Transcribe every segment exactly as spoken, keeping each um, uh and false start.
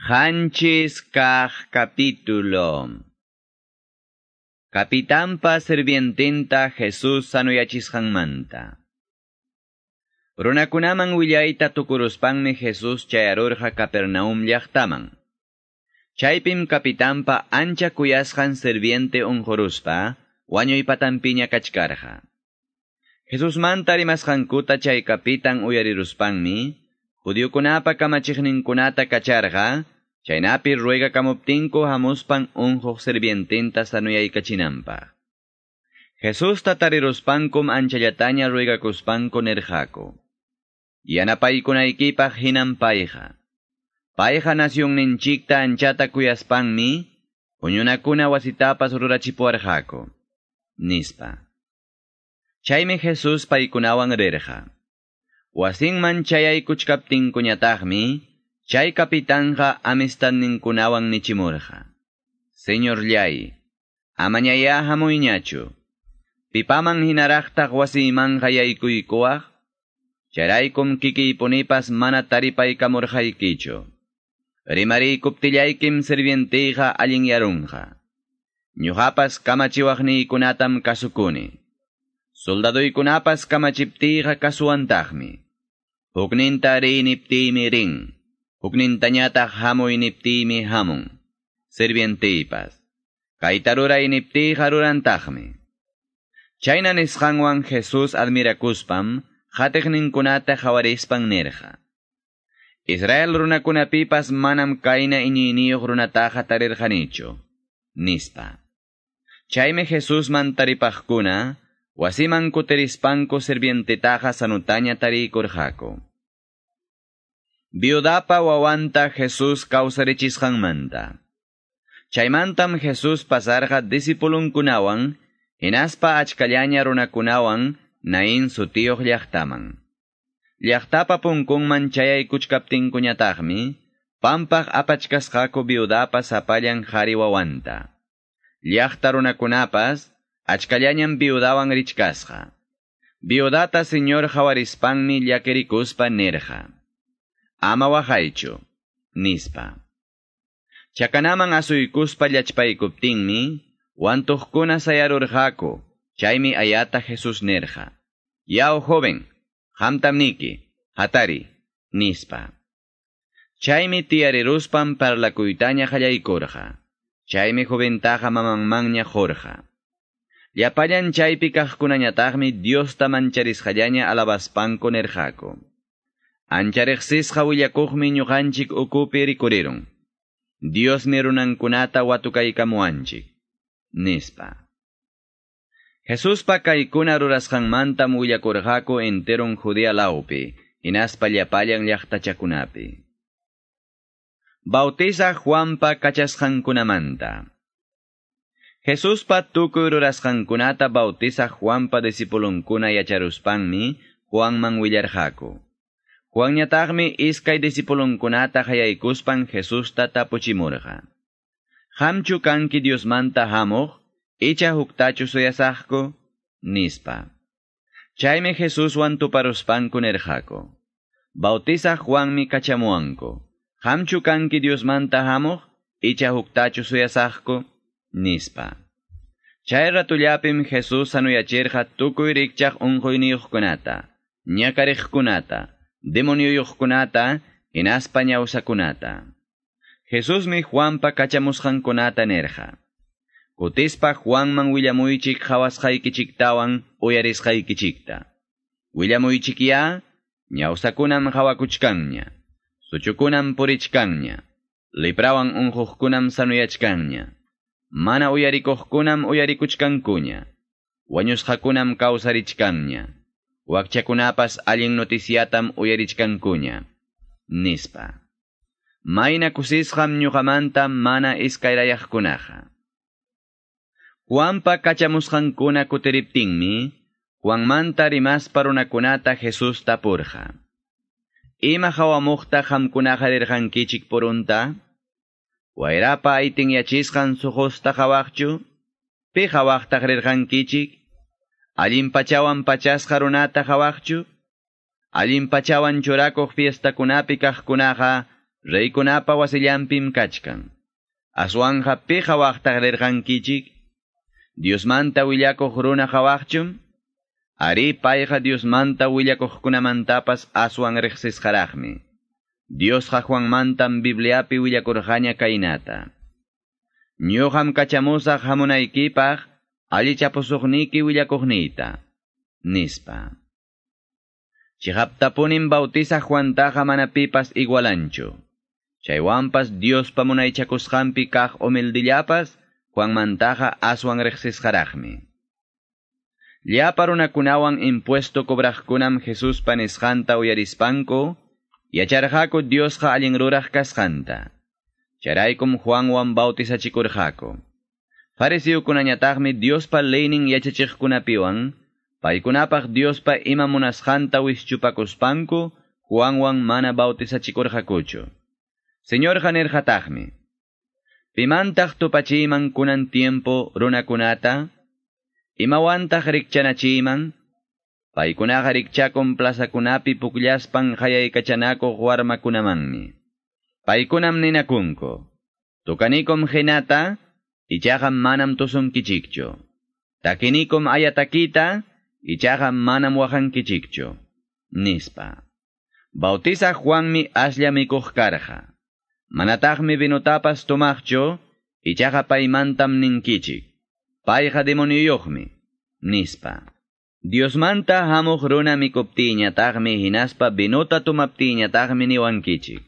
Qanchis kaq capítulo. Kapitanpa sirviententa Jesus sanuyachisqanmanta. Runakunaman willayta tukuruspanmi Jesus chayarurqa Capernaum llaqtaman. Chaypim kapitanpa ancha kuyasqan sirviente unquruspa wañuypatanpiña kachkarqa. Jesusmanta rimasqankuta chay kapitan uyariruspanmi, judiokunapa kamachiqninkunata kacharqa, chaynapi ruegakamuptinku hamuspan unquq sirviententa sanuyaykachinanpaq. Jesusta tariruspankum anchallataña ruegakuspanku nirqaku: Yanapaykunaykipaq hinan payqa. Payqa nacionninchikta anchata kuyaspanmi, huñunakuna wasitapas rurachipuwarqaku, nispa. Chaymi Jesus paykunawan rirqa. Wasinman chayaykuchkaptinkuñataqmi, chay kapitanja amistadninkunawan nichimurqa: Señorllay, amañayá hamuyñachu. Pipaman hinaraqtaq wasiymanqa yaykuykuwaq? Chayraykum kikiypunipas mana taripaykamurqaykichu. Rimariykuptillaykim sirvientiyqa allinyarunqa. Ñuqapas kamachiwaqniykunatam kasukuni. Soldaduykunapas kamachiptiyqa kasuwantaqmi. Hukninta riy niptiymi rin. Huknintañataq hamuy niptiymi hamun. Sirvientiypas. Kayta ruray niptiyqa rurantaqmi. Chayna nisqanwan Jesus admirakuspam, qatiqninkunata qawarispan nirqa: Israel runakunapipas manam kayna iñiyniyuq runataqa tarirqanichu, nispa. Chaymi Jesusman taripaqkuna, wasiman kutirispanku sirvientetaqa sanutaña tariykurqaku. Viudapa wawanta Jesus kawsarichisqanmanta. Chaymantam Jesus pasarqa discipulunkunawan, hinaspa achkallaña runakunawan Naín sutiyuq llaqtaman. Llaqtapa punkunman chayaykuchkaptinkuñataqmi, pampaq apachkasqaku viudapa sapallan qhari wawanta. Llaqta runakunapas achkallañam viudawan richkasqa. Viudata Señor qawarispanmi llakirikuspa nirqa: Ama waqaychu, nispa. Chakanaman asuykuspa llachpaykuptinmi, wantuqkuna sayarurqaku, chaymi ayata Jesus nirqa: Yaw joven, qamtam niki, hatari, nispa. Chaymi tiyariruspan parlakuytaña qallaykurqa. Chaymi joventaqa mamanmanña qurqa. Llapallan chaypi kaqkunañataqmi Diosta mancharisqallaña alabaspanku nirqaku: Ancha riqsisqa willakuqmi ñuqanchik ukupi rikurirun. Diosmi runankunata watukaykamuwanchik, nispa. Jesuspa kaykuna rurasqanmantam willakurqaku enteron Judea lawpi, hinaspa llapallan llaqtachakunapi. Bautizaq Juanpa kachasqankunamanta. Jesuspa tukuy rurasqankunata bautizaq Juanpa discipulunkuna yacharuspanmi Juanman willarqaku. Juanñataqmi iskay discipulunkunata qayaykuspan Jesusta tapuchimurqa: Qamchu kanki Diosmanta hamuq, icha huktachu suyasaqku, nispa. Chaymi Jesuswan tuparuspanku nirqaku: Bautizaq Juanmi kachamuwanku. Qamchu kanki Diosmanta hamuq, icha huktachu suyasaqku, nispa. Chay ratullapim Jesus sanuyachirqa tukuy rikchaq unquyniyuqkunata, ñakariqkunata, demonioyuqkunata, hinaspa ñawsakunata. Jesusmi Juanpa kachamusqankunata nirqa: Kutispa Juanman willamuychik qhawasqaykichiktawan uyarisqaykichikta. Willamuychikyá, ñawsakunam qhawakuchkanña, suchukunam purichkanña, leprawan unquqkunam sanuyachkanña, mana uyarikuqkunam uyarikuchkankuña, wañusqakunam kawsarichkanña, wakchakunapas allin noticiatam uyarichkankuña, nispa. Mayna kusisqam ñuqamanta mana iskayrayaqkunaqa. Juanpa kachamusqankuna kutiriptinmi, Juanmanta rimaspa runakunata Jesus tapurqa: Ima qawamuqta qamkunaqa rirqankichik purunta? Wayrapa aytinyachisqan suqusta qawaqchu? Pi qawaqtaq rirqankichik? Allin pachawan pachasqa runata qawaqchu? Allin pachawan churakuq fiestakunapi kaqkunaqa Reykunapa wasillanpim kachkan. Aswanja pi qhawaqtaq rirqankichik? Diosmanta willakuq runa qhawaqchum? Ari payqa Diosmanta willakuqkunamantapas aswan riqsisqaraqmi. Diosqa Juanmantam Bibliapi willakurqaña kaynata. Ñuqam kachamusaq hamunaykipaq allichapusuqniki willakuqniyta, nispa. Chiqaptapunim bautizaq Juantaqa mana pipas igualanchu. Chaywanpas Diospa munaychakusqanpi kaq humildillapas Juanmantaqa aswan riqsisqaraqmi. Llapa runakunawan impuesto cobraqkunam Jesuspa nisqanta uyarispanku, yacharqaku Diosqa allin ruraq kasqanta. Chayraykum Juanwan bautizachikurqaku. Fariseokunañataqmi Diospa leynin yachachiqkunapiwan, paykunapaq Diospa ima munasqanta wischupakuspanku, Juanwan mana bautizachikurqakuchu. Señorqa nirqataqmi, Pimantaq tupachiyman kunan tiempo runakunata? Imawantaq rikchanachiyman? Paykunaqa rikchakun plazakunapi pukllaspan qayaykachanakuq warmakunamanmi. Paykunam ninakunku, Tukanikum qinata, ichaqa manam tusunkichikchu. Takinikum ayatakita, ichaqa manam waqankichikchu, nispa. Bautizaq Juanmi aslla mikuq karqa. Manataqmi vinotapas tomaqchu, ichaqa paymantam ninkichik. Payqa demonioyuqmi, nispa. Diosmanta hamuq runa mikuptiyñataqmi hinaspa vinota tomaptiyñataqmi niwankichik.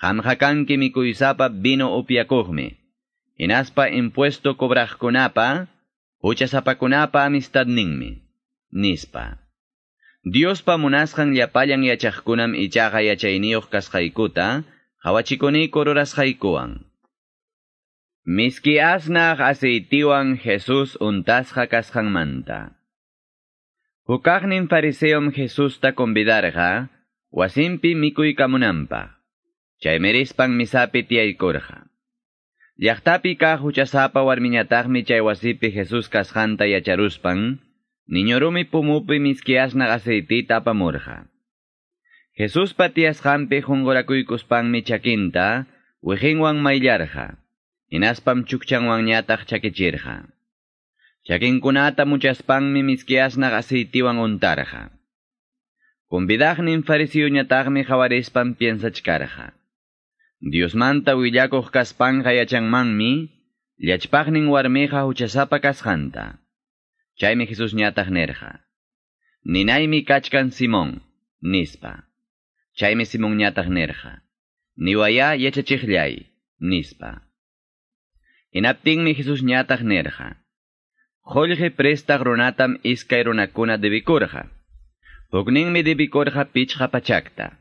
Qamqa kanki mikuysapa vino upyakuqmi. Hinaspa impuesto cobraqkunapa, huchasapakunapa amistadninmi, nispa. Diospa munasqan llapallan yachaqkunam ichaqa yachayniyuq kasqaykuta, qhawachikuniku rurasqaykuwan. Miski asnaq aceitiwan Jesús untasqa kasqanmanta. Hukaqnin fariseom Jesusta convidarqa, wasinpi mikuykamunanpaq. Chaymi rispan misapi tiyaykurqa. Llaqtapi kaq huchasapa warmiñataqmi chay wasipi Jesús kasqanta yacharuspan, niñorumi pumupi miski asnaq aceitita apamurqa. Jesuspa tiyasqanpi qunqurakuykuspanmi chakinta wiqinwan mayllarqa, hinaspam chukchanwanñataq chakichirqa. Chakinkunata muchaspanmi miski asnaq aceitiwan untarqa. Convidaqnin fariseoñataqmi qawarispan piensachkarqa. Diosmanta willakuq kaspanqa yachanmanmi, llachpaqnin warmiqa huchasapa kasqanta. Chaymi Jesusñataq nirqa. Ninaymi kachkan Simón, nispa. Chaymi Simonñataq nirqa. Niwaya yachachiqllay, nispa. Hinaptinmi Jesusñataq nirqa. Qullqi prestaq runatam iskay runakuna debikurqa. Hukninmi debikurqa pichqa pachakta.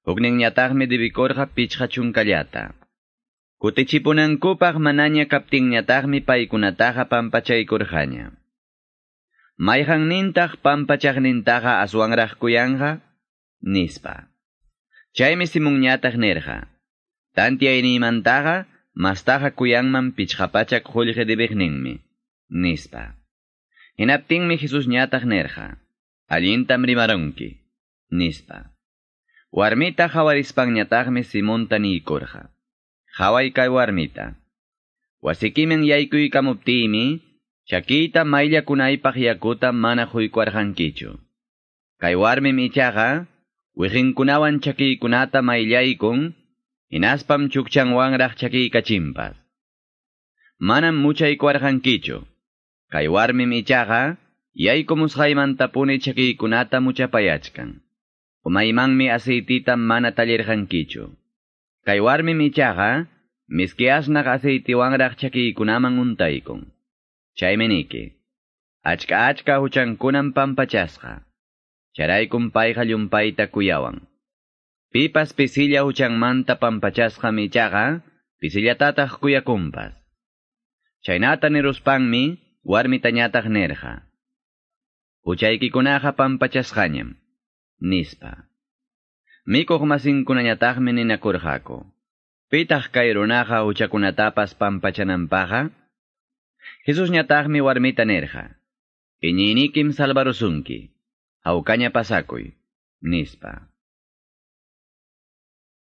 Hukninñataqmi debikurqa pichqa chunkallata. Kutichipunankupaq manaña kaptinñataqmi paykunataqa pampachaykurqaña. Mayqannintaq pampachaqnintaqa aswanraq kuyanqa, nispa. Chaymi Simonñataq nirqa. Tantiyayniymantaqa mastaqa kuyanman pichqa pachak qullqi debiqninmi, nispa. Hinaptinmi Jesusñataq nirqa. Allintam rimarunki, nispa. Warmita qawarispanñataqmi Simonta niykurqa. Qhaway kay warmita. Wasikiman yaykuykamuptiymi, chakiyta mayllakunaypaq yakuta mana quykuwarqankichu. Kay warmim ichaqa, wiqinkunawan chakiykunata mayllaykun, hinaspam chukchanwanraq chakiykachinpas. Manam muchaykuwarqankichu. Kay warmim ichaqa, yaykumusqaymantapuni chakiykunata muchapayachkan. Umaymanmi aceitita mana tallirqankichu. Kay warmim ichaqa, miski asnaq aceitiwanraq chakiykunaman untaykun. Chaymi niki, achka achka huchankunam pampachasqa. Chayraykum payqa llumpayta kuyawan. Pipas pisilla huchanmanta pampachasqam ichaqa, pisillatataq kuyakunpas. Chaynata niruspanmi, warmitañataq nirqa. Huchaykikunaqa pampachasqañam, nispa. Mikuq masinkunañataqmi ninakurqaku. Pitaq kay runaqa huchakunatapas pampachananpaqqa? Jesusñataqmi warmita nirqa. Iñiynikim salvarusunki. Hawkaña pasakuy, nispa.